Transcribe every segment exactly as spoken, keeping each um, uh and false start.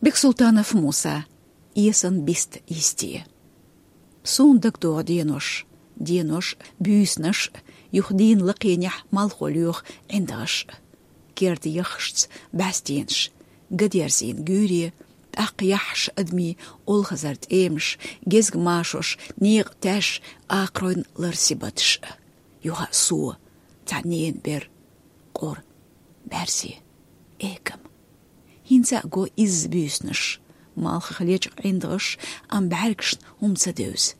Бексултанов Муса. Эсан бист йисте. Суна дагадогӀу денош, денош, буьйсанаш, юха дийнан лакхенехь малхо лоьху ӀиндагӀаш. Керда яххашца бӀаьстенаш, гадерзийна гуьйре, тӀаккха яххьаш адамийн олхазара тӀемаш, гезгмашош, некъан тӀаьш, акхаройн лар сибаташ. Юха а со, цхьа ненан бер, къора, бӀаьрзе, экам. ХӀинца а го изза буьйсанаш, малхах лечкъа ӀиндагӀаш, амма бӀаьргашна хӀума ца девза.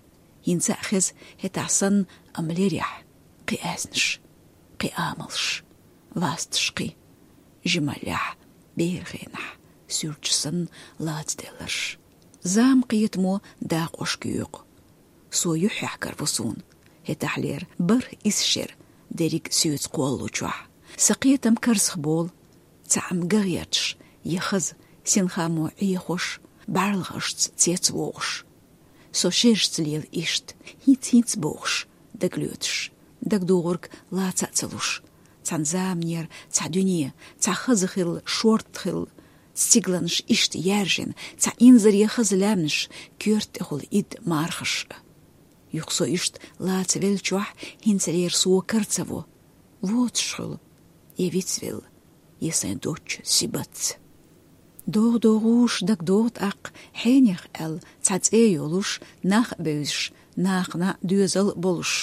ХӀинца а хеза хӀетахь санна, амма лерехь, кхин аьзнаш, кхин амалш, ласташ кхин, жималлехь, беран хенахь, суьрташ санна лацаделларш. Зама кхетамо дакъошка юьйкъу. Со юьххьехь караву суна. ХӀетахьлера бархӀ исс шера дерриг соьца кхоллучохь. Сан кхетам карзахболу, цхьаъ-м ган гӀерташ, я хаза, синхамо Ӏехош, бӀарлагӀашца цецвогӀуш. Со шерашца лела иштта, хӀинца-хӀинца бохуш, дагалоьцуш, дагадогӀург лаца а ца луш. Цхьана заманера цхьа дуьне, цхьа хаза хилла, шорта хилла, стигланаш иштта яьржина, цхьа инзаре хаза лаьмнаш, коьрта тӀехула идда мархаш. Юха со иштта лаца веллачохь, хӀинцалера со кара ца во. Воцуш хуьлу, я вицвелла, я сайн доцчу сибатца. ДогӀу-догӀуш дагадогӀу тӀаккха, хьенех аьлла, цхьа цӀе йолуш, нах а бевзаш, нахана а доьзал а болуш.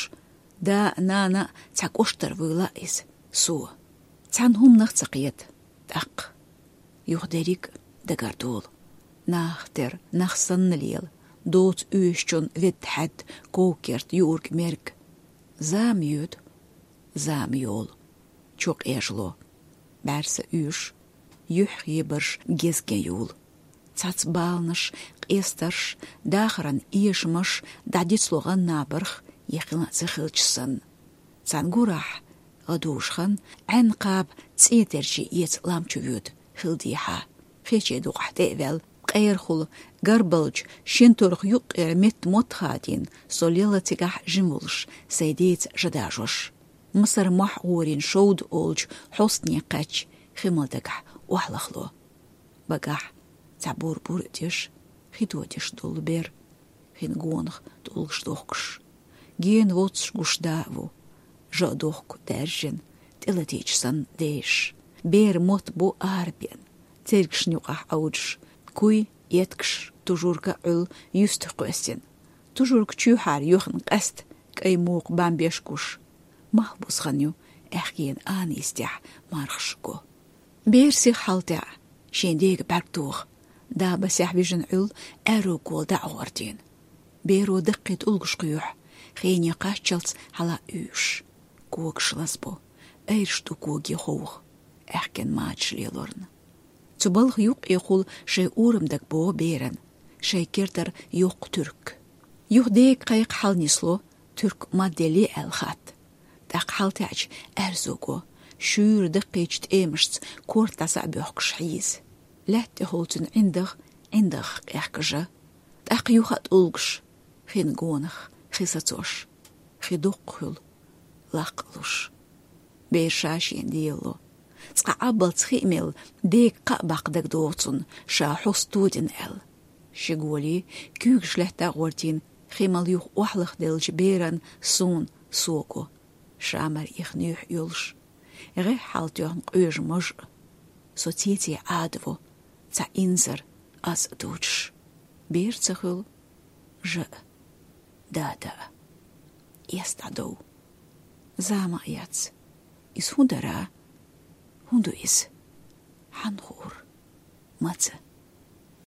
Да а, нана а цхьа кӀоштара вуйла иза, со. Цхьана хӀуманах ца кхета, тӀаккха. Юха дерриг а дагардолу. Нахах тера, нах санна лела, доцу оьшучун ведда хьаьдда ков-керт юург-мерг. Зама йоьду, зама йолу, чу къежало. БӀаьрса уьш, юьхь хебарш гезге юлу. Цхьацца баланаш, къестарш, дахаран эшамаш дӀадицло гӀан набарх, я хилла а ца хилча санна. Цхьана гурахь, гӀадужу хан, Ӏаьнна кхаба цӀен терчий эца лам чу воьду, хила дехьа. Хечийн дукъахь тӀе а ваьлла, къерахула, гарбалчу шина торгӀа юккъера метта мотт хадийна, со лелла цигахь жима волуш, сайн деца жа дажош. Масар мохь гӀорийна шовда олучу хьостане кхаьчча, хи мала дагахь охьалахло. Багахь цхьа бур-бур а деш, хи тодеш долу бер, хин гонах тӀулгаш дохкуш. Гена воццуш гуш да а ву, жа а дохку даьржина, тӀелатийча санна дешаш. Бер мотт бу арабеана, цергашна юкъахь Ӏовдуш, куй, эткаш, тужург а Ӏуьллу юьстах кхоьссина. Тужург чуьйхьара йохна къаьста, кӀай мукха бан беш гуш. Малхбуза хан ю, аьхкенан ана йистехь мархаш го. Бер сиха хьалтаьӀа, шен дега бӀаьрг тоха, дабасехь вижина Ӏуьллу аьрру кола дӀа а гӀортийна. Беро даккхий тӀулгаш кхоьхьу, хене кхаччалц хьала уьйш. Когаш лазабо, айраш ду коге ховха, аьхкенан мачаш лелорна. Цу балха юккъехула шайн орам дага богӀу беран, шайн кертара йоккха туьрк. Юха дега кхайкха хьалнисло, туьрк мадделле аьлла хатта. ТӀаккха хьалтаьӀча аьрзу го, шуьйра даккхийчу тӀемашца корта дӀаса а боьхкуш хьийза. Лаьтта тӀехула цуьнан ӀиндагӀ, ӀиндагӀах къехка жа. ТӀаккха юха а тӀулгаш, хин гонах, хи сацош, хи доккха хуьлу, лаккха луш. Бер ша шена лелало. Цкъа Ӏаббалц хи а мелла, дега кхаъ баккха дагадогӀу цунна, ша хьоста тодина аьлла. Ши голи, куьйгаш лаьтта а гӀортийна, хи мала юха охьалахделлачу беран суна со го, ша мара ихна юьхь йолуш. ГӀеххьалтоьхна къоьжа маж а. Со цеций Ӏадаво, цхьа инзар аз а дучуш. Бер ца хуьлу, жа а, дада а. Эс дӀадов. Зама а яц. Иза хӀун дара? ХӀун ду иза? Хьан хуур? Маца?